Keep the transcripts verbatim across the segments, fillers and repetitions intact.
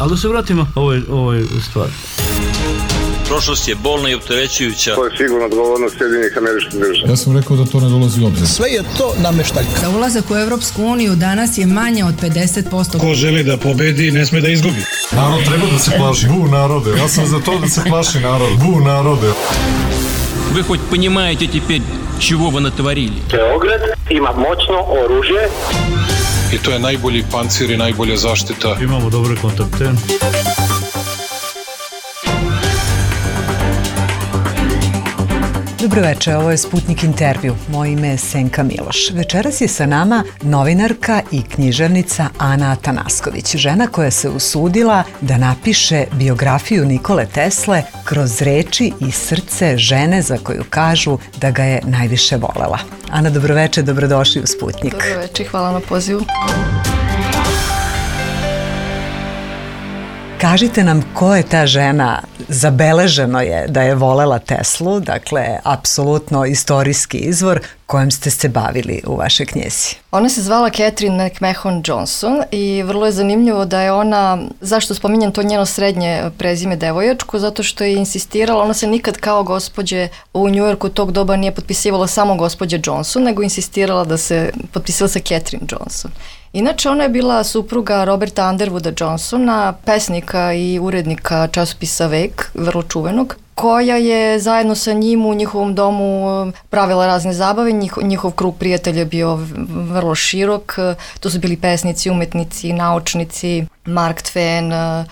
Ali da se vratimo ovoj, ovoj stvari. Prošlost je bolna i opterećujuća. To je sigurno odgovornost Sjedinjenih Američkih Država. Ja sam rekao da to ne dolazi u obzir. Sve je to nameštaljka. Za ulazak u Evropsku uniju danas je manje od pedeset posto. Ko želi da pobedi, ne sme da izgubi. Narod treba da se plaši. Bu narode. Ja sam za to da se plaši narod. Bu narode. Вы хоть понимаете теперь, чего вы натворили? Beograd ima moćno oružje. I to je najbolji pancir i najbolja zaštita. Imamo dobre kontakte. Dobroveče, ovo je Sputnik intervju. Moje ime je Senka Miloš. Večeras je sa nama novinarka i književnica Ana Atanasković, žena koja se usudila da napiše biografiju Nikole Tesle kroz reči i srce žene za koju kažu da ga je najviše volela. Ana, dobroveče, dobrodošli u Sputnik. Dobroveče, hvala na pozivu. Kažite nam ko je ta žena, zabeleženo je da je volela Teslu, dakle, apsolutno istorijski izvor kojem ste se bavili u vašoj knjizi. Ona se zvala Catherine McMahon Johnson i vrlo je zanimljivo da je ona, zašto spominjem to njeno srednje prezime devojačko, zato što je insistirala, ona se nikad kao gospođe u Njujorku tog doba nije potpisivala samo gospođe Johnson, nego insistirala da se potpisala sa Catherine Johnson. Inače, ona je bila supruga Roberta Underwooda Johnsona, pesnika i urednika časopisa Vek, vrlo čuvenog, koja je zajedno sa njim u njihovom domu pravila razne zabave. Njih, njihov krug prijatelja je bio vrlo širok. To su bili pesnici, umetnici, naučnici, Mark Twain,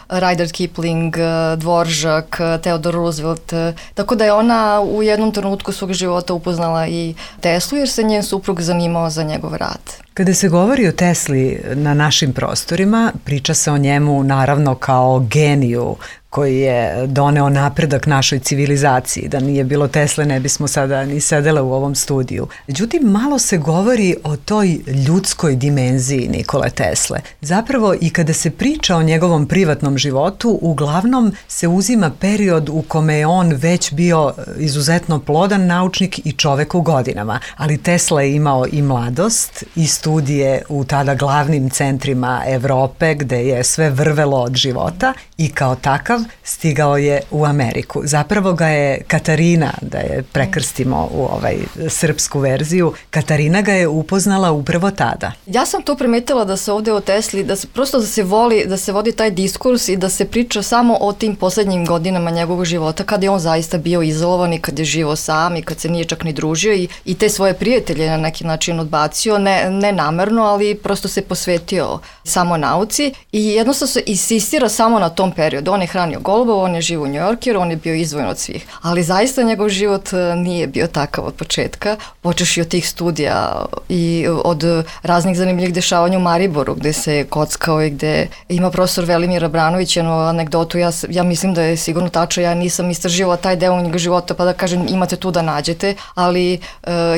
Rudyard Kipling, Dvoržak, Theodore Roosevelt. Tako da je ona u jednom trenutku svog života upoznala i Teslu jer se njen suprug zanimao za njegov rad. Kada se govori o Tesli na našim prostorima, priča se o njemu naravno kao geniju koji je doneo napredak našoj civilizaciji. Da nije bilo Tesle, ne bismo sada ni sedele u ovom studiju. Međutim, malo se govori o toj ljudskoj dimenziji Nikole Tesle. Zapravo, i kada se priča o njegovom privatnom životu, uglavnom se uzima period u kome je on već bio izuzetno plodan naučnik i čovek u godinama. Ali Tesla je imao i mladost i studije u tada glavnim centrima Evrope, gde je sve vrvelo od života i kao takav stigao je u Ameriku. Zapravo ga je Katarina, da je prekrstimo u ovaj srpsku verziju, Katarina ga je upoznala upravo tada. Ja sam to primetila da se ovde o Tesli, da se prosto da se voli, da se vodi taj diskurs i da se priča samo o tim poslednjim godinama njegovog života, kada je on zaista bio izolovan i kad je živo sam i kad se nije čak ni družio i, i te svoje prijatelje na neki način odbacio, ne, ne namerno, ali prosto se posvetio samo nauci i jednostavno se insistira samo na tom periodu. On je hranio golubov, on je živ u Njujorkeru, on je bio izdvojen od svih. Ali zaista njegov život nije bio takav od početka. Počeš i od tih studija i od raznih zanimljivih dešavanja u Mariboru, gde se kockao i gde ima profesor Velimir Abranović jednu anegdotu. Ja, ja mislim da je sigurno tačno, ja nisam istraživala taj deo njega života, pa da kažem imate tu da nađete, ali e,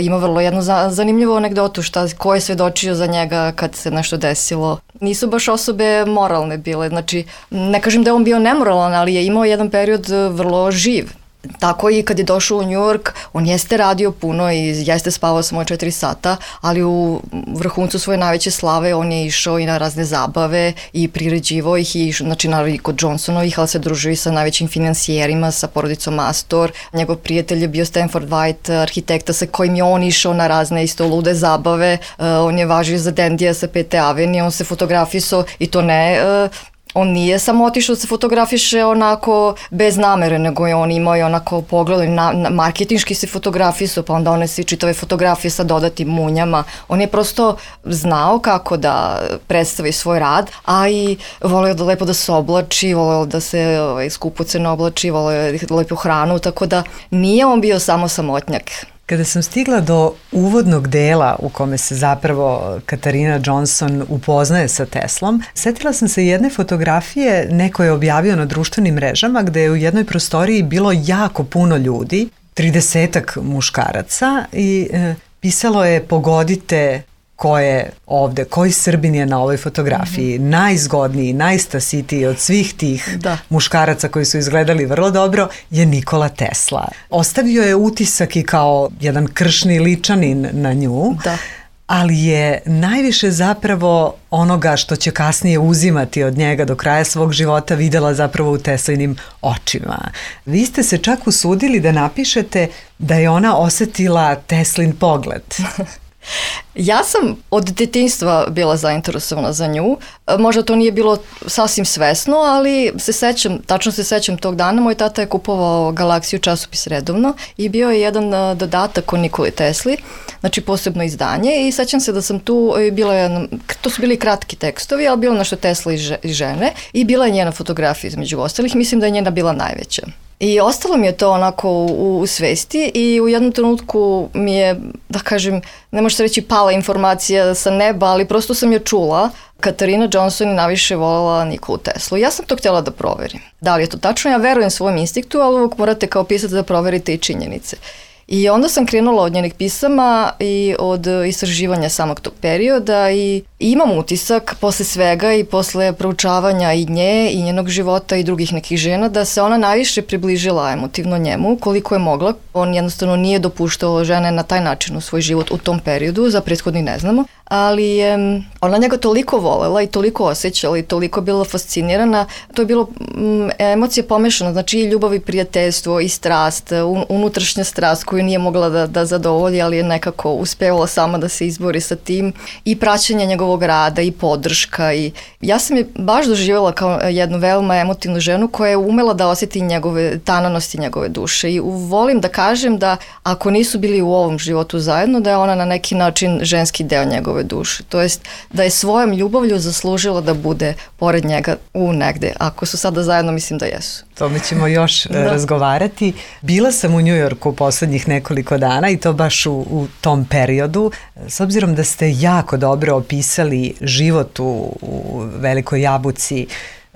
ima vrlo jednu za, zanimljivu anegdotu šta, ko je svedočio za njega kad se nešto desilo. Nisu baš osobe moralne bile, znači ne kažem da je on bio nemoralan, ali je imao jedan period vrlo živ. Tako i kad je došao u New York, on jeste radio puno i jeste spavao samo četiri sata, ali u vrhuncu svoje najveće slave on je išao i na razne zabave i priređivao ih i znači naravno i kod Johnsonovih, ali se družio i sa najvećim finansijerima, sa porodicom Astor. Njegov prijatelj je bio Stanford White, arhitekta sa kojim je on išao na razne isto lude zabave. Uh, on je važio za Dandija sa Pete Avenue, on se fotografisao i to ne... Uh, On nije samo otišao da se fotografiše onako bez namere, nego je on imao i onako pogled, na, na, marketinški se fotografisao, pa onda one svi čitave fotografije sa dodatim munjama. On je prosto znao kako da predstavi svoj rad, a i voleo da lepo da se oblači, voleo da se ovaj, skupoceno oblači, voleo lepo hranu, tako da nije on bio samo samotnjak. Kada sam stigla do uvodnog dela u kome se zapravo Katarina Johnson upoznaje sa Teslom, setila sam se jedne fotografije, neko je objavio na društvenim mrežama gde je u jednoj prostoriji bilo jako puno ljudi, tridesetak muškaraca i e, pisalo je pogodite ko je ovde, koji Srbin je na ovoj fotografiji, mm-hmm. najzgodniji, najstasitiji od svih tih da. muškaraca koji su izgledali vrlo dobro je Nikola Tesla. Ostavio je utisak i kao jedan kršni ličanin na nju. Da. ali je najviše zapravo onoga što će kasnije uzimati od njega do kraja svog života videla zapravo u Teslinim očima. Vi ste se čak usudili da napišete da je ona osetila Teslin pogled. Ja sam od detinjstva bila zainteresovana za nju. Možda to nije bilo sasvim svesno, ali se sećam, tačno se sećam tog dana. Moj tata je kupovao Galaksiju časopis redovno i bio je jedan dodatak o Nikoli Tesli, znači posebno izdanje, i sećam se da sam tu, bila je, to su bili kratki tekstovi, ali bilo nešto Tesla i žene i bila je njena fotografija između ostalih. Mislim da je njena bila najveća. I ostalo mi je to onako u, u svesti i u jednom trenutku mi je, da kažem, ne može se reći pala informacija sa neba, ali prosto sam je čula. Katarina Johnson je najviše voljela Nikolu Teslu. Ja sam to htjela da proverim. Da li je to tačno? Ja verujem svojom instinktu, ali uvijek morate kao pisac da proverite i činjenice. I onda sam krenula od njenih pisama i od istraživanja samog tog perioda i imam utisak posle svega i posle proučavanja i nje i njenog života i drugih nekih žena da se ona najviše približila emotivno njemu koliko je mogla. On jednostavno nije dopuštao žene na taj način u svoj život u tom periodu, za prethodni ne znamo, ali je ona njega toliko volela i toliko osjećala i toliko bila fascinirana. To je bilo m, emocija pomešana, znači i ljubav i prijateljstvo i strast, un, unutrašnja strast koju nije mogla da, da zadovolji, ali je nekako uspevala sama da se izbori sa tim, i praćenje njegovog rada i podrška. I ja sam je baš doživjela kao jednu veoma emotivnu ženu koja je umela da osjeti njegove tananosti, njegove duše, i volim da kažem da ako nisu bili u ovom životu zajedno, da je ona na neki način ženski deo njegove duše. To jest da je svojom ljubavlju zaslužila da bude pored njega u negde. Ako su sada zajedno, mislim da jesu. Tome ćemo još da. razgovarati. Bila sam u Njujorku poslednjih nekoliko dana i to baš u, u tom periodu. S obzirom da ste jako dobro opisali život u, u Velikoj Jabuci,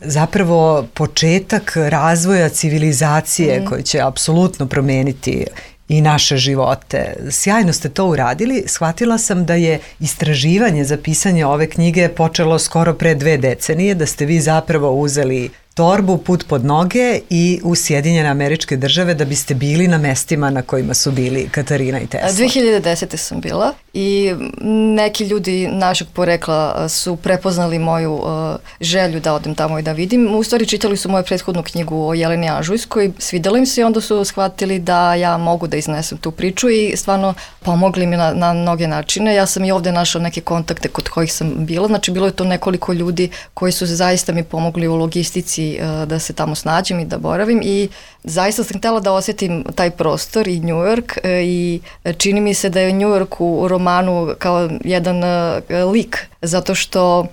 zapravo početak razvoja civilizacije mm. koji će apsolutno promeniti i naše živote. Sjajno ste to uradili. Shvatila sam da je istraživanje za pisanje ove knjige počelo skoro pre dve decenije, da ste vi zapravo uzeli torbu, put pod noge i u Sjedinjene Američke Države da biste bili na mestima na kojima su bili Katarina i Tesla. dve hiljade desete. sam bila i neki ljudi našeg porekla su prepoznali moju uh, želju da odem tamo i da vidim. U stvari čitali su moju prethodnu knjigu o Jeleni Anžujskoj, svidjela im se i onda su shvatili da ja mogu da iznesem tu priču i stvarno pomogli mi na, na mnoge načine. Ja sam i ovde našla neke kontakte kod kojih sam bila, znači bilo je to nekoliko ljudi koji su zaista mi pomogli u logistici da se tamo snađem i da boravim, i zaista sam htjela da osjetim taj prostor i New York, i čini mi se da je New York u romanu kao jedan lik, zato što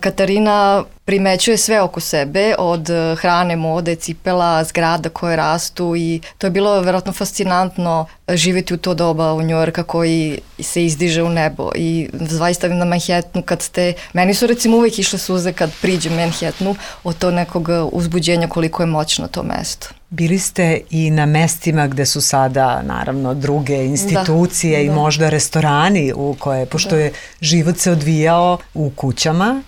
Katarina primećuje sve oko sebe, od hrane, mode, cipela, zgrada koje rastu, i to je bilo verovatno fascinantno živjeti u to doba u Njujorka koji se izdiže u nebo. I zaista na Manhattanu kad ste, meni su recimo uvijek išle suze kad priđem Manhattanu od to nekog uzbuđenja koliko je moćno to mesto. Bili ste i na mestima gde su sada naravno druge institucije da, i da. možda restorani u koje, pošto da. je život se odvijao u kućama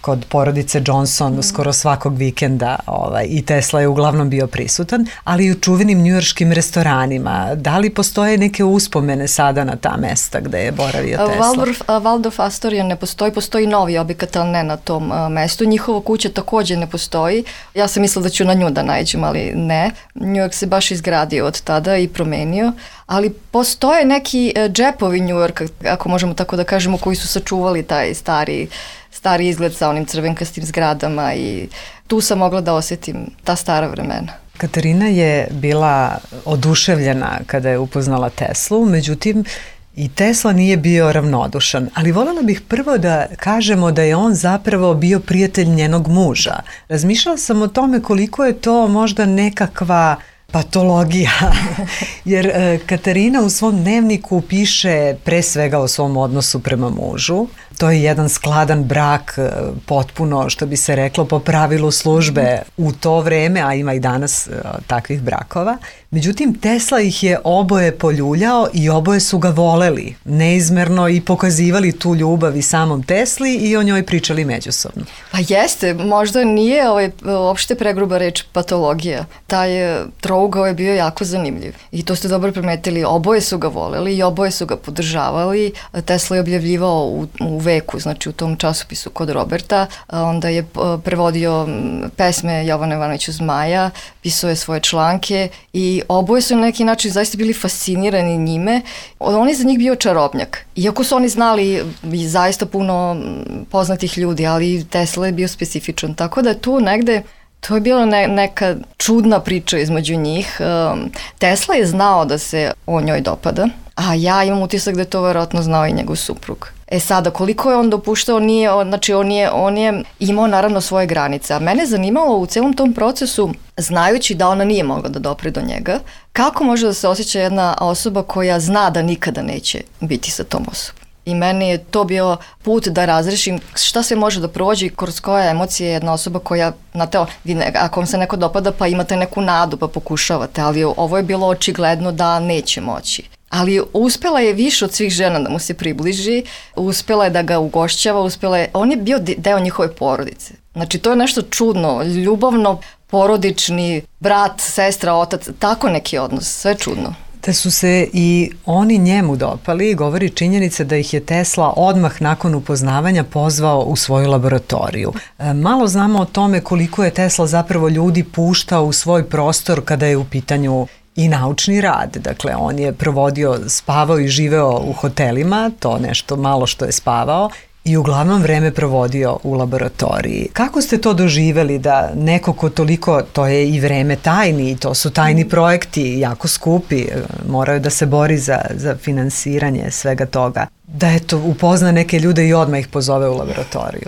kod porodice Johnson mm. skoro svakog vikenda, ovaj, i Tesla je uglavnom bio prisutan, ali i u čuvenim njujorškim restoranima. Da li postoje neke uspomene sada na ta mesta gde je boravio Tesla? Waldorf, Waldorf Astoria ne postoji, postoji novi objekat, ali ne na tom uh, mestu. Njihova kuća također ne postoji. Ja sam mislila da ću na nju da nađem, ali ne. New York se baš izgradio od tada i promenio, ali postoje neki uh, džepovi New Yorka, ako možemo tako da kažemo, koji su sačuvali taj stari stari izgled sa onim crvenkastim zgradama, i tu sam mogla da osjetim ta stara vremena. Katarina je bila oduševljena kada je upoznala Teslu, međutim i Tesla nije bio ravnodušan, ali voljela bih prvo da kažemo da je on zapravo bio prijatelj njenog muža. Razmišljala sam o tome koliko je to možda nekakva patologija, jer e, Katarina u svom dnevniku piše pre svega o svom odnosu prema mužu. To je jedan skladan brak, potpuno, što bi se reklo, po pravilu službe u to vreme, a ima i danas e, takvih brakova. Međutim, Tesla ih je oboje poljuljao i oboje su ga voleli neizmerno i pokazivali tu ljubav i samom Tesli i o njoj pričali međusobno. Pa jeste, možda nije ovaj, uopšte pregruba reč patologija. Taj trougao ugao je bio jako zanimljiv. I to ste dobro primetili, oboje su ga voleli i oboje su ga podržavali. Tesla je objavljivao u, u veku, znači u tom časopisu kod Roberta, onda je prevodio pesme Jovana Ivanovića Zmaja, pisao je svoje članke i oboje su na neki način zaista bili fascinirani njime. On je za njih bio čarobnjak. Iako su oni znali zaista puno poznatih ljudi, ali Tesla je bio specifičan. Tako da je tu negde, to je bila ne, neka čudna priča između njih. Um, Tesla je znao da se on njoj dopada, a ja imam utisak da je to verovatno znao i njegov suprug. E sada, koliko je on dopuštao, nije, znači on je, on je imao naravno svoje granice, a mene zanimalo u celom tom procesu, znajući da ona nije mogla da dopre do njega, kako može da se osjeća jedna osoba koja zna da nikada neće biti sa tom osobom. I meni je to bio put da razrešim šta se može da prođe i kroz koje emocije jedna osoba koja, znate, ako vam se neko dopada pa imate neku nadu pa pokušavate, ali ovo je bilo očigledno da neće moći. Ali uspela je više od svih žena da mu se približi, uspela je da ga ugošćava, uspela je, on je bio deo njihove porodice. Znači to je nešto čudno, ljubavno, porodični, brat, sestra, otac, tako neki odnos, sve čudno. Da su se i oni njemu dopali, govori činjenica da ih je Tesla odmah nakon upoznavanja pozvao u svoju laboratoriju. E, malo znamo o tome koliko je Tesla zapravo ljudi puštao u svoj prostor kada je u pitanju i naučni rad. Dakle, on je provodio, spavao i živeo u hotelima, to nešto malo što je spavao, i uglavnom vreme provodio u laboratoriji. Kako ste to doživeli da neko ko toliko, to je i vreme tajni, to su tajni projekti, jako skupi, moraju da se bori za, za finansiranje svega toga, da eto upozna neke ljude i odmah ih pozove u laboratoriju?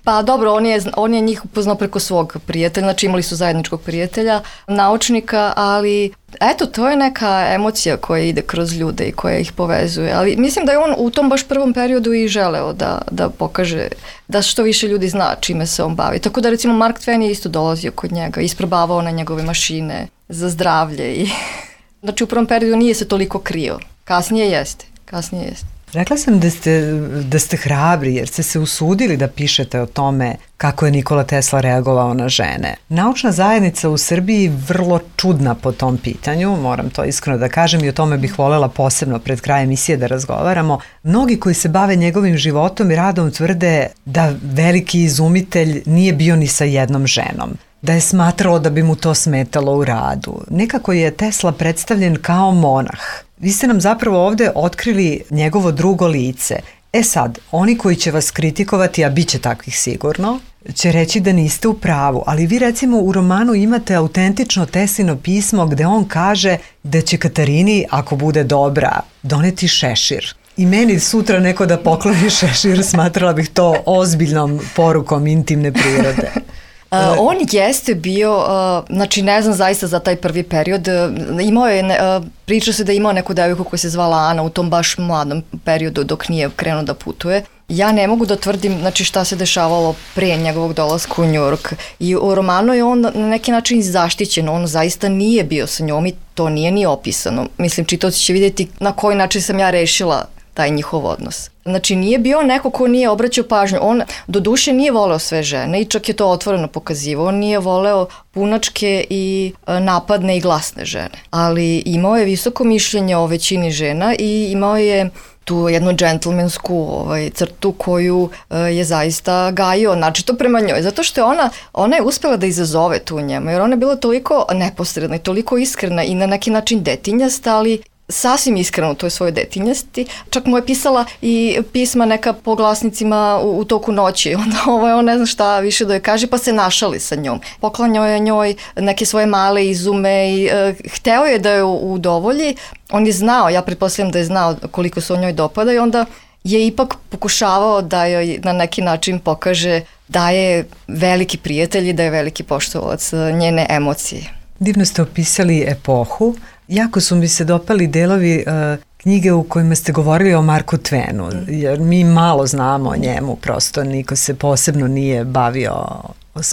Pa dobro, on je, on je njih upoznao preko svog prijatelja, znači imali su zajedničkog prijatelja, naučnika, ali eto, to je neka emocija koja ide kroz ljude i koja ih povezuje, ali mislim da je on u tom baš prvom periodu i želeo da, da pokaže da što više ljudi zna čime se on bavi. Tako da recimo Mark Twain je isto dolazio kod njega, isprobavao na njegove mašine za zdravlje i znači u prvom periodu nije se toliko krio, kasnije jeste, kasnije jeste. Rekla sam da ste, da ste hrabri jer ste se usudili da pišete o tome kako je Nikola Tesla reagovao na žene. Naučna zajednica u Srbiji vrlo čudna po tom pitanju, moram to iskreno da kažem i o tome bih volela posebno pred kraj emisije da razgovaramo. Mnogi koji se bave njegovim životom i radom tvrde da veliki izumitelj nije bio ni sa jednom ženom, da je smatrao da bi mu to smetalo u radu. Nekako je Tesla predstavljen kao monah. Vi ste nam zapravo ovde otkrili njegovo drugo lice. E sad, oni koji će vas kritikovati, a bit će takvih sigurno, će reći da niste u pravu, ali vi recimo u romanu imate autentično Teslino pismo gde on kaže da će Katarini, ako bude dobra, doneti šešir. I meni sutra neko da pokloni šešir, smatrala bih to ozbiljnom porukom intimne prirode. Uh, on jeste bio, uh, znači ne znam zaista za taj prvi period, uh, imao je, uh, priča se da je imao neku devojku koja se zvala Ana u tom baš mladom periodu dok nije krenuo da putuje. Ja ne mogu da tvrdim znači, šta se dešavalo pre njegovog dolaska u Njujork i u romanu je on na neki način zaštićen, on zaista nije bio sa njom i to nije ni opisano. Mislim, čitaoci će vidjeti na koji način sam ja rešila taj njihov odnos. Znači nije bio neko ko nije obraćao pažnju, on do duše nije voleo sve žene i čak je to otvoreno pokazivao, on nije voleo punačke i napadne i glasne žene, ali imao je visoko mišljenje o većini žena i imao je tu jednu džentlmensku ovaj, crtu koju uh, je zaista gajio, znači to prema njoj, zato što je ona, ona je uspela da izazove tu njemu, jer ona je bila toliko neposredna i toliko iskrena i na neki način detinjasta, ali sasvim iskreno u toj svojoj detinjasti. Čak mu je pisala i pisma neka po glasnicima u, u toku noći. Onda ovo je on ne zna šta više da joj kaže, pa se našali sa njom. Poklanjao je njoj neke svoje male izume i e, hteo je da je udovolji. On je znao, ja pretpostavljam da je znao koliko se o njoj dopada i onda je ipak pokušavao da joj na neki način pokaže da je veliki prijatelj i da je veliki poštovalac njene emocije. Divno ste opisali epohu. Jako su mi se dopali delovi uh, knjige u kojima ste govorili o Marku Twenu, jer mi malo znamo o njemu, prosto niko se posebno nije bavio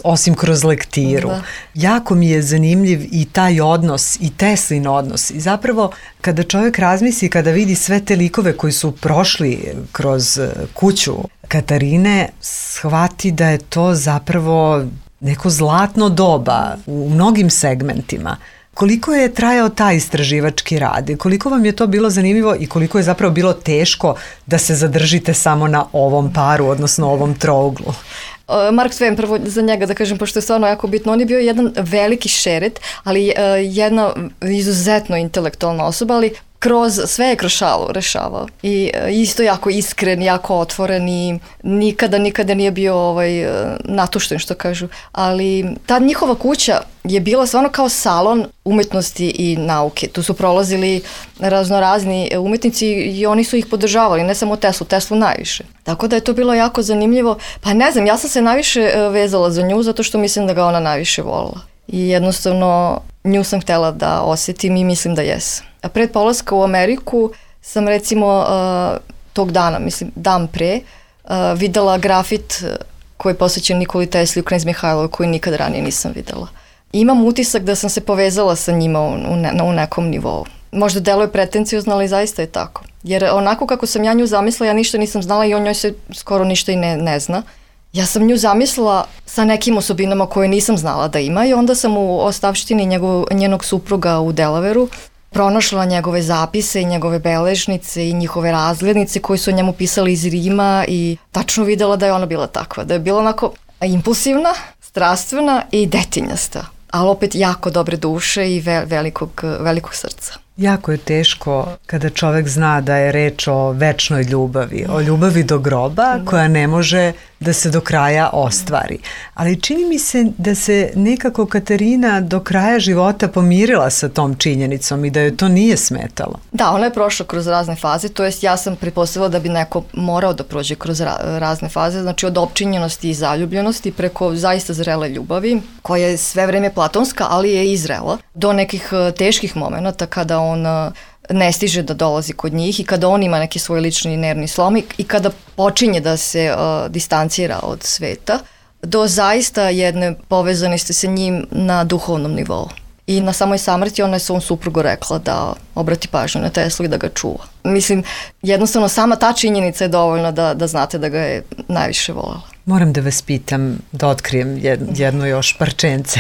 osim kroz lektiru. Da. Jako mi je zanimljiv i taj odnos i Teslin odnos i zapravo kada čovjek razmisli, kada vidi sve te likove koji su prošli kroz kuću Katarine, shvati da je to zapravo neko zlatno doba u mnogim segmentima. Koliko je trajao taj istraživački rad i koliko vam je to bilo zanimljivo i koliko je zapravo bilo teško da se zadržite samo na ovom paru, odnosno ovom trouglu? Mark Twain, prvo za njega da kažem, pošto je stvarno jako bitno, on je bio jedan veliki šeret, ali uh, jedna izuzetno intelektualna osoba, ali kroz sve je kroz šalu rešavao. I uh, isto jako iskren, jako otvoren i nikada, nikada nije bio ovaj, uh, natušten, što kažu. Ali ta njihova kuća je bila stvarno kao salon umetnosti i nauke. Tu su prolazili raznorazni umetnici i oni su ih podržavali, ne samo Teslu, Teslu najviše. Tako da je to bilo jako zanimljivo. Pa ne znam, ja sam se najviše vezala za nju zato što mislim da ga ona najviše volila. I jednostavno nju sam htjela da osjetim i mislim da jesam. A pred polaska u Ameriku sam recimo tog dana, mislim dan pre, videla grafit koji je posvećen Nikoli Tesli u Knez Mihajlovoj koji nikad ranije nisam videla. Imam utisak da sam se povezala sa njima u, u, ne, u nekom nivou. Možda deluje pretencijozno, ali zaista je tako. Jer onako kako sam ja nju zamislila, ja ništa nisam znala i o njoj se skoro ništa i ne, ne zna. Ja sam nju zamislila sa nekim osobinama koje nisam znala da ima i onda sam u ostavštini njegov, njenog supruga u Delaveru pronašla njegove zapise i njegove beležnice i njihove razglednice koje su o njemu pisali iz Rima i tačno videla da je ona bila takva, da je bila onako impulsivna, strastvena i detinjasta, ali opet jako dobre duše i ve, velikog, velikog srca. Jako je teško kada čovek zna da je reč o večnoj ljubavi, o ljubavi do groba koja ne može da se do kraja ostvari. Ali čini mi se da se nekako Katarina do kraja života pomirila sa tom činjenicom i da joj to nije smetalo. Da, ona je prošla kroz razne faze, to jest ja sam pretpostavila da bi neko morao da prođe kroz ra- razne faze, znači od opčinjenosti i zaljubljenosti preko zaista zrele ljubavi, koja je sve vreme platonska, ali je i zrela, do nekih teških momenata kada on ne stiže da dolazi kod njih i kada on ima neki svoj lični nervni slom i kada počinje da se uh, distancira od sveta, do zaista jedne povezanosti sa njim na duhovnom nivou. I na samoj samrti ona je svom suprugu rekla da obrati pažnju na Teslu i da ga čuva. Mislim, jednostavno sama ta činjenica je dovoljna da, da znate da ga je najviše voljela. Moram da vas pitam, da otkrijem jedno još parčence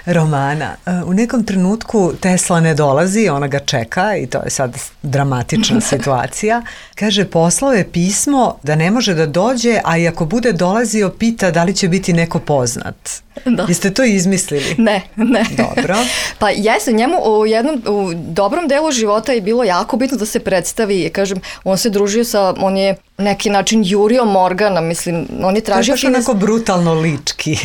romana. U nekom trenutku Tesla ne dolazi, ona ga čeka i to je sad dramatična situacija. Kaže, poslao je pismo da ne može da dođe, a i ako bude dolazio, pita da li će biti neko poznat. Da. Jeste to izmislili? Ne, ne. Dobro. Pa jeste, njemu u jednom, u dobrom delu života je bilo jako bitno da se predstavi, kažem, on se družio sa, on je neki način jurio Morgana, mislim, on je tražio... To je baš onako brutalno lički.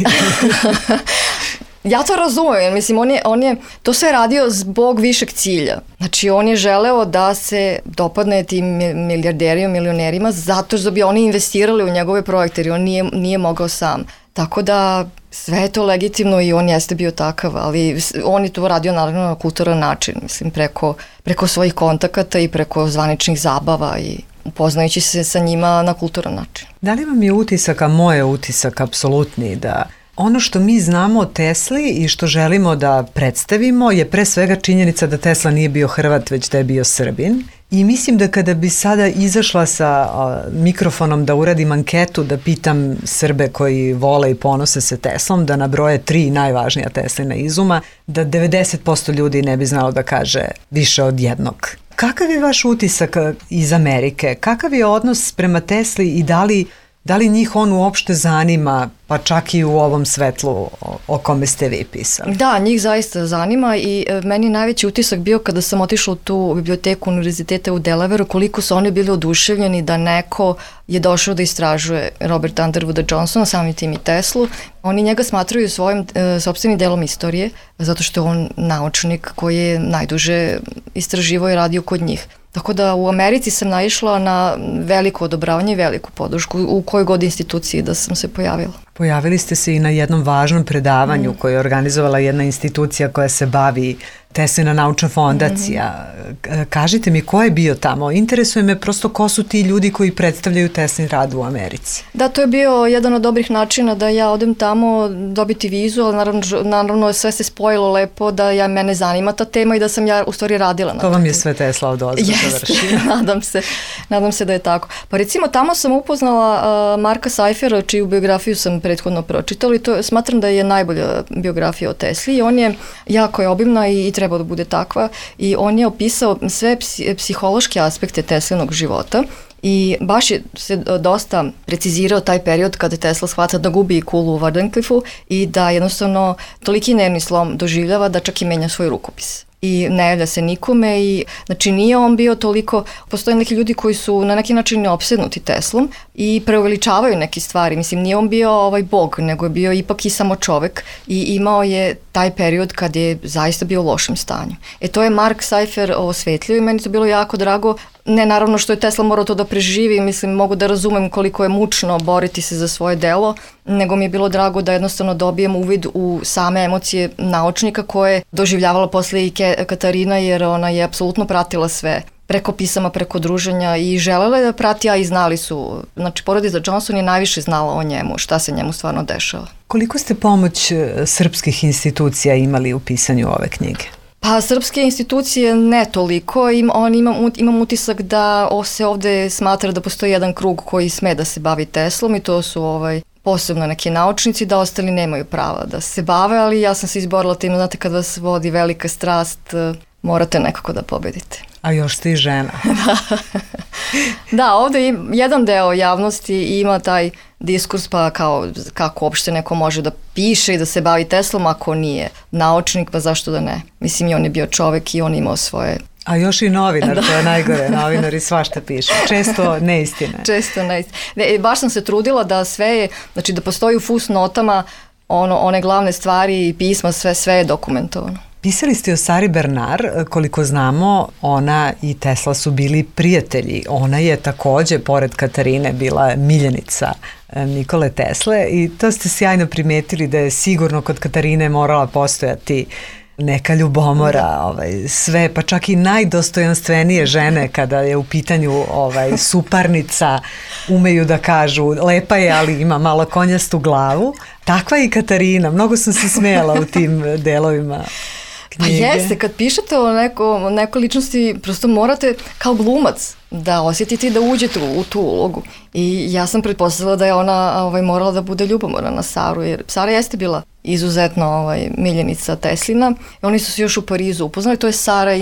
Ja to razumijem, mislim, on je, on je to sve radio zbog višeg cilja. Znači, on je želeo da se dopadne tim milijarderima, milionerima, zato što bi oni investirali u njegove projekte, jer on nije, nije mogao sam. Tako da sve je to legitimno i on jeste bio takav, ali on je to radio naravno na kulturan način, mislim, preko, preko svojih kontakata i preko zvaničnih zabava i upoznajući se sa njima na kulturan način. Da li vam je utisak, a moj je utisak apsolutni, da ono što mi znamo o Tesli i što želimo da predstavimo je pre svega činjenica da Tesla nije bio Hrvat, već da je bio Srbin. I mislim da kada bi sada izašla sa a, mikrofonom da uradim anketu, da pitam Srbe koji vole i ponose se Teslom, da nabroje tri najvažnija Teslina izuma, da devedeset posto ljudi ne bi znalo da kaže više od jednog. Kakav je vaš utisak iz Amerike? Kakav je odnos prema Tesli i da li, da li njih on uopšte zanima, pa čak i u ovom svetlu o, o kome ste vi pisali? Da, njih zaista zanima i e, meni najveći utisak bio kada sam otišla u tu biblioteku univerziteta u Delaveru, koliko su oni bili oduševljeni da neko je došao da istražuje Roberta Underwooda Johnsona, samim tim i Teslu. Oni njega smatraju svojim e, sopstvenim delom istorije, zato što je on naučnik koji je najduže istraživao i radio kod njih. Tako da u Americi sam naišla na veliko odobravanje i veliku podršku u kojoj god instituciji da sam se pojavila. Pojavili ste se i na jednom važnom predavanju mm. koje je organizovala jedna institucija koja se bavi Teslina naučna fondacija. Mm-hmm. Kažite mi, ko je bio tamo? Interesuje me prosto ko su ti ljudi koji predstavljaju Teslin rad u Americi. Da, to je bio jedan od dobrih načina da ja odem tamo dobiti vizu, ali naravno, naravno sve se spojilo lepo da ja, mene zanima ta tema i da sam ja u stvari radila na to. To vam je sve Tesla od ozda završila. nadam se, nadam se da je tako. Pa recimo tamo sam upoznala uh, Marka Seifera, čiju biografiju sam prethodno pročitali. To smatram da je najbolja biografija o Tesli i on je jako je obimna i, i treba da bude takva i on je opisao sve psi, psihološke aspekte Teslinog života. I baš je se dosta precizirao taj period kada Tesla shvata da gubi kulu u Wardenclyffu i da jednostavno toliki nervni slom doživljava da čak i menja svoj rukopis. I ne javlja se nikome i znači nije on bio toliko, postoje neki ljudi koji su na neki način opsednuti Teslom i preuveličavaju neke stvari, mislim nije on bio ovaj bog, nego je bio ipak i samo čovek i imao je taj period kad je zaista bio u lošem stanju. E to je Mark Seifer osvetlio i meni to bilo jako drago, ne naravno što je Tesla morao to da preživi, mislim mogu da razumem koliko je mučno boriti se za svoje delo, nego mi je bilo drago da jednostavno dobijem uvid u same emocije naučnika koje je doživljavala posle i Katarina jer ona je apsolutno pratila sve preko pisama, preko druženja i želela je da prati, a i znali su. Znači, porodica Johnson je najviše znala o njemu, šta se njemu stvarno dešava. Koliko ste pomoć srpskih institucija imali u pisanju ove knjige? Pa srpske institucije ne toliko, Im, on ima, imam utisak da se ovde smatra da postoji jedan krug koji sme da se bavi Teslom i to su ovaj, posebno neki naučnici, da ostali nemaju prava da se bave, ali ja sam se izborila tim, znate kad vas vodi velika strast, morate nekako da pobedite. A još ste i žena. Da, ovde im, jedan deo javnosti ima taj diskurs pa kao kako uopšte neko može da piše i da se bavi Teslom ako nije naučnik, pa zašto da ne? Mislim i on je bio čovek i on imao svoje... A još i novinar, da. To je najgore, novinari svašta pišu, često neistine. Često neistine. Ne, baš sam se trudila da sve je, znači da postoji u fusnotama ono, one glavne stvari i pisma, sve, sve je dokumentovano. Pisali ste o Sari Bernard, koliko znamo, ona i Tesla su bili prijatelji. Ona je takođe, pored Katarine, bila miljenica Nikole Tesle i to ste sjajno primetili da je sigurno kod Katarine morala postojati neka ljubomora, ovaj, sve, pa čak i najdostojanstvenije žene kada je u pitanju ovaj, suparnica, umeju da kažu lepa je, ali ima malo konjastu glavu. Takva je i Katarina, mnogo sam se smijela u tim delovima knjige. Pa jeste, kad pišete o neko, nekoj ličnosti, prosto morate kao glumac da osjetite da uđete u, u tu ulogu. I ja sam pretpostavila da je ona ovaj, morala da bude ljubomorna na Saru, jer Sara jeste bila izuzetno ovaj, miljenica Teslina. I oni su se još u Parizu upoznali, to je Sara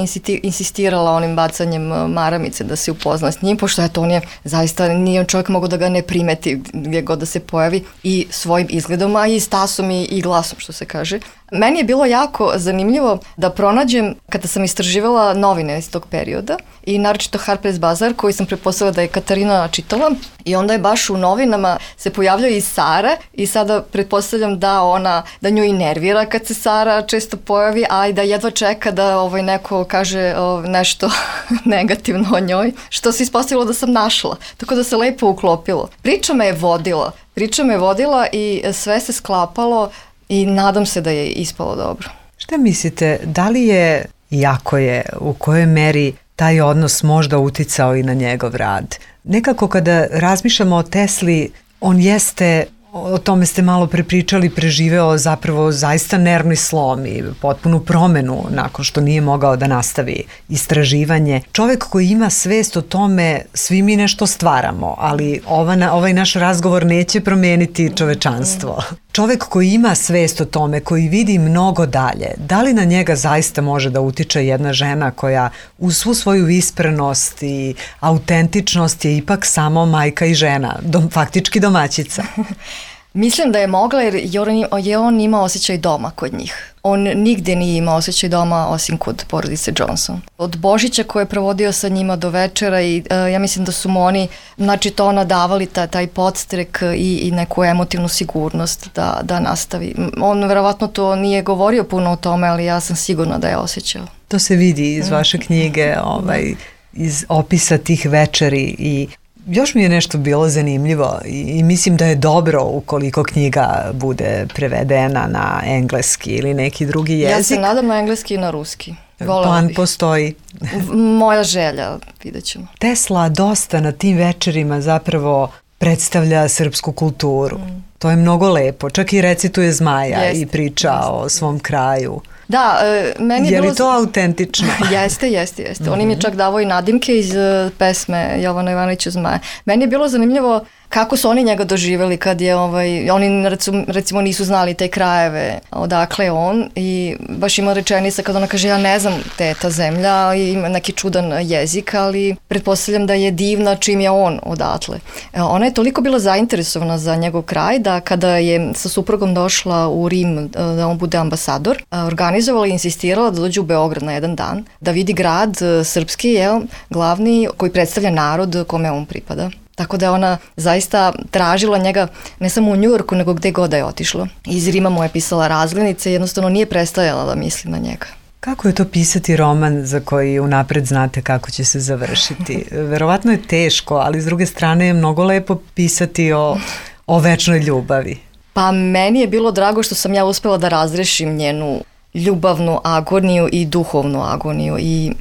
insistirala onim bacanjem maramice da se upozna s njim, pošto eto on je zaista, nije čovjek mogao da ga ne primeti gdje god da se pojavi i svojim izgledom, a i stasom i, i glasom, što se kaže. Meni je bilo jako zanimljivo da pronađem, kada sam istraživala novine iz tog perioda i naročito Harper's Bazaar, koji sam pretpostavila da je Katarina čitala, i onda je baš u novinama se pojavljaju i Sara i sada pretpostavljam da ona, da nju i nervira kad se Sara često pojavi, a i da jedva čeka da ovaj neko kaže o, nešto negativno o njoj, što se ispostavilo da sam našla, tako da se lepo uklopilo. Priča me je vodila, priča me je vodila i sve se sklapalo i nadam se da je ispalo dobro. Šta mislite, da li je, iako je, u kojoj meri taj odnos možda uticao i na njegov rad? Nekako kada razmišljamo o Tesli, on jeste, o tome ste malo prepričali, preživeo zapravo zaista nervni slom i potpunu promenu nakon što nije mogao da nastavi istraživanje. Čovek koji ima svest o tome, svi mi nešto stvaramo, ali ova, ovaj naš razgovor neće promeniti čovečanstvo. Čovek koji ima svest o tome, koji vidi mnogo dalje, da li na njega zaista može da utiče jedna žena koja uz svu svoju visprenost i autentičnost je ipak samo majka i žena, dom, faktički domaćica? Mislim da je mogla jer je on imao osjećaj doma kod njih. On nigde nije imao osjećaj doma osim kod porodice Johnson. Od Božića koje je provodio sa njima do večera i uh, ja mislim da su mu oni, znači to nadavali ta, taj podstrek i, i neku emotivnu sigurnost da, da nastavi. On verovatno to nije govorio puno o tome, ali ja sam sigurna da je osjećao. To se vidi iz vaše knjige, ovaj, iz opisa tih večeri i još mi je nešto bilo zanimljivo i, i mislim da je dobro ukoliko knjiga bude prevedena na engleski ili neki drugi jezik. Ja se nadam na engleski i na ruski. Plan bih. Postoji. Moja želja, vidjet ćemo. Tesla dosta na tim večerima zapravo predstavlja srpsku kulturu. Mm. To je mnogo lepo. Čak i recituje Zmaja jeste, i priča jeste. O svom kraju. Da, meni je, je bilo... li to autentično? Jeste, jeste, jeste. Mm-hmm. On im je čak davao i nadimke iz pesme Jovana Ivanovića Zmaja. Meni je bilo zanimljivo kako su oni njega doživjeli kad je, ovaj, oni recimo, recimo nisu znali te krajeve odakle je on i baš ima rečenica kad ona kaže ja ne znam te je ta zemlja i ima neki čudan jezik, ali pretpostavljam da je divna čim je on odatle. Ona je toliko bila zainteresovana za njegov kraj da kada je sa suprugom došla u Rim da on bude ambasador, organizovala i insistirala da dođe u Beograd na jedan dan, da vidi grad srpski, jel, glavni koji predstavlja narod kome on pripada. Tako da je ona zaista tražila njega ne samo u Njujorku, nego gde god da je otišla. Iz Rima mu je pisala razglednice i jednostavno nije prestajala da misli na njega. Kako je to pisati roman za koji unapred znate kako će se završiti? Verovatno je teško, ali s druge strane je mnogo lepo pisati o, o večnoj ljubavi. Pa meni je bilo drago što sam ja uspela da razrešim njenu ljubavnu agoniju i duhovnu agoniju i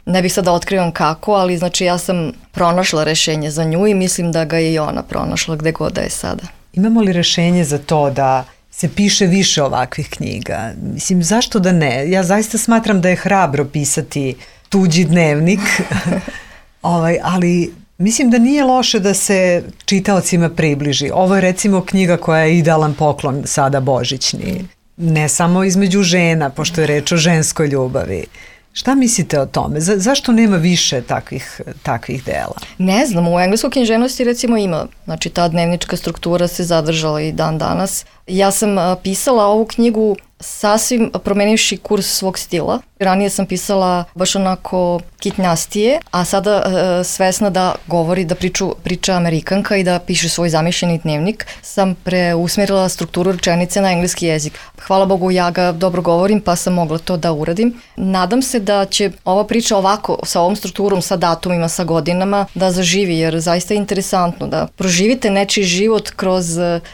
ne bih sada otkrivam kako, ali znači ja sam pronašla rešenje za nju i mislim da ga je i ona pronašla gde god da je sada. Imamo li rešenje za to da se piše više ovakvih knjiga? Mislim, zašto da ne? Ja zaista smatram da je hrabro pisati tuđi dnevnik, ovaj, ali mislim da nije loše da se čitaocima približi. Ovo je recimo knjiga koja je idealan poklon sada božićni. Ne samo između žena, pošto je reč o ženskoj ljubavi. Šta mislite o tome? Za, zašto nema više takvih, takvih dela? Ne znam, u engleskoj književnosti recimo ima, znači ta dnevnička struktura se zadržala i dan danas. Ja sam a, pisala ovu knjigu sasvim promenivši kurs svog stila. Ranije sam pisala baš onako kitnjastije, a sada e, svesna da govori, da priču, priča Amerikanka i da piše svoj zamišljeni dnevnik, sam preusmerila strukturu rečenice na engleski jezik. Hvala Bogu, ja ga dobro govorim, pa sam mogla to da uradim. Nadam se da će ova priča ovako, sa ovom strukturom, sa datumima, sa godinama, da zaživi, jer zaista je interesantno da proživite nečiji život kroz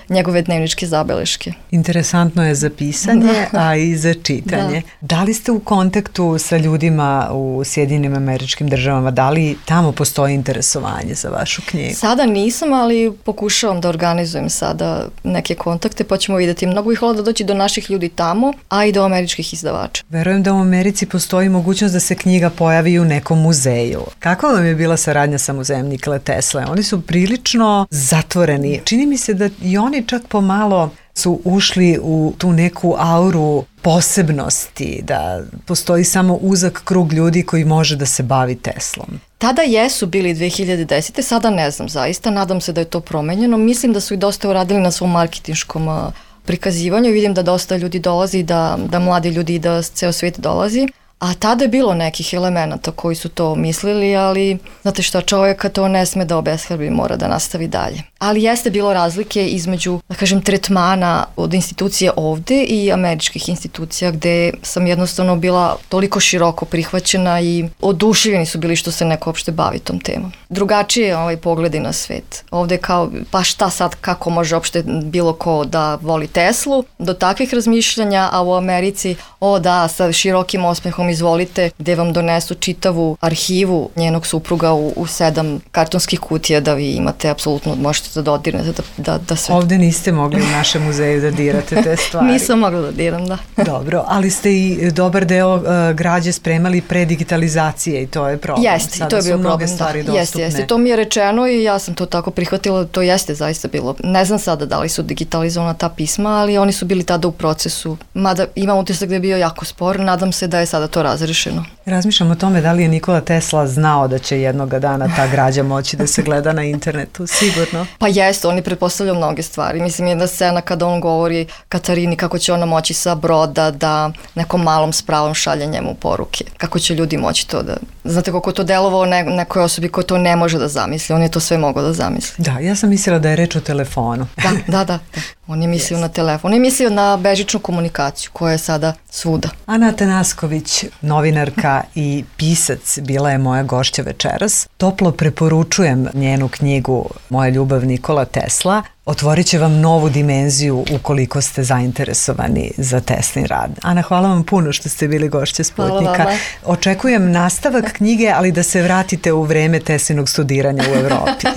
njegove dnevničke zabeleške. Interesantno je za pisanje, a i za čitanje. Da. Da li ste u kontaktu sa ljudima u Sjedinjenim Američkim Državama? Da li tamo postoji interesovanje za vašu knjigu? Sada nisam, ali pokušavam da organizujem sada neke kontakte, pa ćemo vidjeti. Mnogo bih hvala da doći do naših ljudi tamo, a i do američkih izdavača. Verujem da u Americi postoji mogućnost da se knjiga pojavi u nekom muzeju. Kakva vam je bila saradnja sa muzejem Nikole Tesle? Oni su prilično zatvoreni. Čini mi se da i oni čak pomalo su ušli u tu neku auru posebnosti, da postoji samo uzak krug ljudi koji može da se bavi Teslom. Tada jesu bili dve hiljade desete. Sada ne znam zaista, nadam se da je to promenjeno. Mislim da su i dosta uradili na svom marketinškom prikazivanju. Vidim da dosta ljudi dolazi, da, da mladi ljudi i da ceo svijet dolazi. A tada je bilo nekih elemenata koji su to mislili, ali znate šta, čovjeka to ne sme da obeshrabri, mora da nastavi dalje. Ali jeste bilo razlike između, da kažem, tretmana od institucije ovde i američkih institucija, gde sam jednostavno bila toliko široko prihvaćena i oduševljeni su bili što se neko uopšte bavi tom temom. Drugačije je ovaj pogledi na svet. Ovde kao, pa šta sad, kako može uopšte bilo ko da voli Teslu, do takvih razmišljanja, a u Americi, o da, sa širokim osmehom izvolite, gde vam donesu čitavu arhivu njenog supruga u, u sedam kartonskih kutija da vi imate, apsolutno možete da dodirnete, da, da, da sve... Ovde niste mogli u našem muzeju da dirate te stvari. Nisam mogla da diram, da. Dobro, ali ste i dobar deo uh, građe spremali pre digitalizacije i to je problem. Jeste, i to je bio problem, da. Jeste, jeste, to mi je rečeno i ja sam to tako prihvatila, to jeste zaista bilo. Ne znam sada da li su digitalizovana ta pisma, ali oni su bili tada u procesu. Mada imam utisak da je bio jako spor, nadam se da je sada to razrešeno. Razmišljam o tome da li je Nikola Tesla znao da će jednoga dana ta građa moći da se gleda na internetu, sigurno. Pa jeste, oni pretpostavljaju mnoge stvari. Mislim, jedna scena kada on govori Katarini kako će ona moći sa broda da nekom malom spravom šalje njemu poruke. Kako će ljudi moći to da... Znate koliko to delovao ne, nekoj osobi ko to ne može da zamisli. On je to sve mogao da zamisli. Da, ja sam mislila da je reč o telefonu. Da, da, da. da. On je mislio yes. na telefon. On je mislio na bežičnu komunikaciju koja je sada svuda. Ana Atanasković, novinarka i pisac, bila je moja gošća večeras. Toplo preporučujem njenu knjigu Moja ljubav Nikola Tesla. Otvorit će vam novu dimenziju ukoliko ste zainteresovani za Teslin rad. Ana, hvala vam puno što ste bili gošće Sputnika. Očekujem nastavak knjige, ali da se vratite u vreme Teslinog studiranja u Evropi.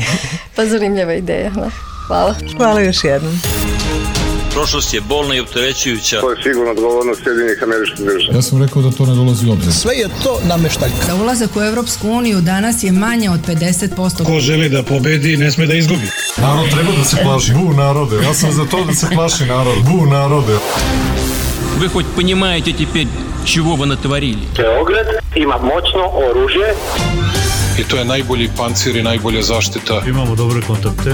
Pa zanimljiva ideja. Hvala. Hvala još jednom. Prošlost je bolna i opterećujuća. To je sigurno odgovornost Sjedinjenih Američkih Država. Ja sam rekao da to ne dolazi u obzir. Sve je to nameštaljka. Za ulazak u Evropsku uniju danas je manje od pedeset posto. Ko želi da pobedi, ne sme da izgubi. Narod treba da se plaši. Bu narode. Ja sam za to da se plaši narod. Bu narode. Вы хоть понимаете теперь, чего вы натворили? Beograd ima moćno oružje. I to je najbolji pancir i najbolja zaštita. Imamo dobre kontakte.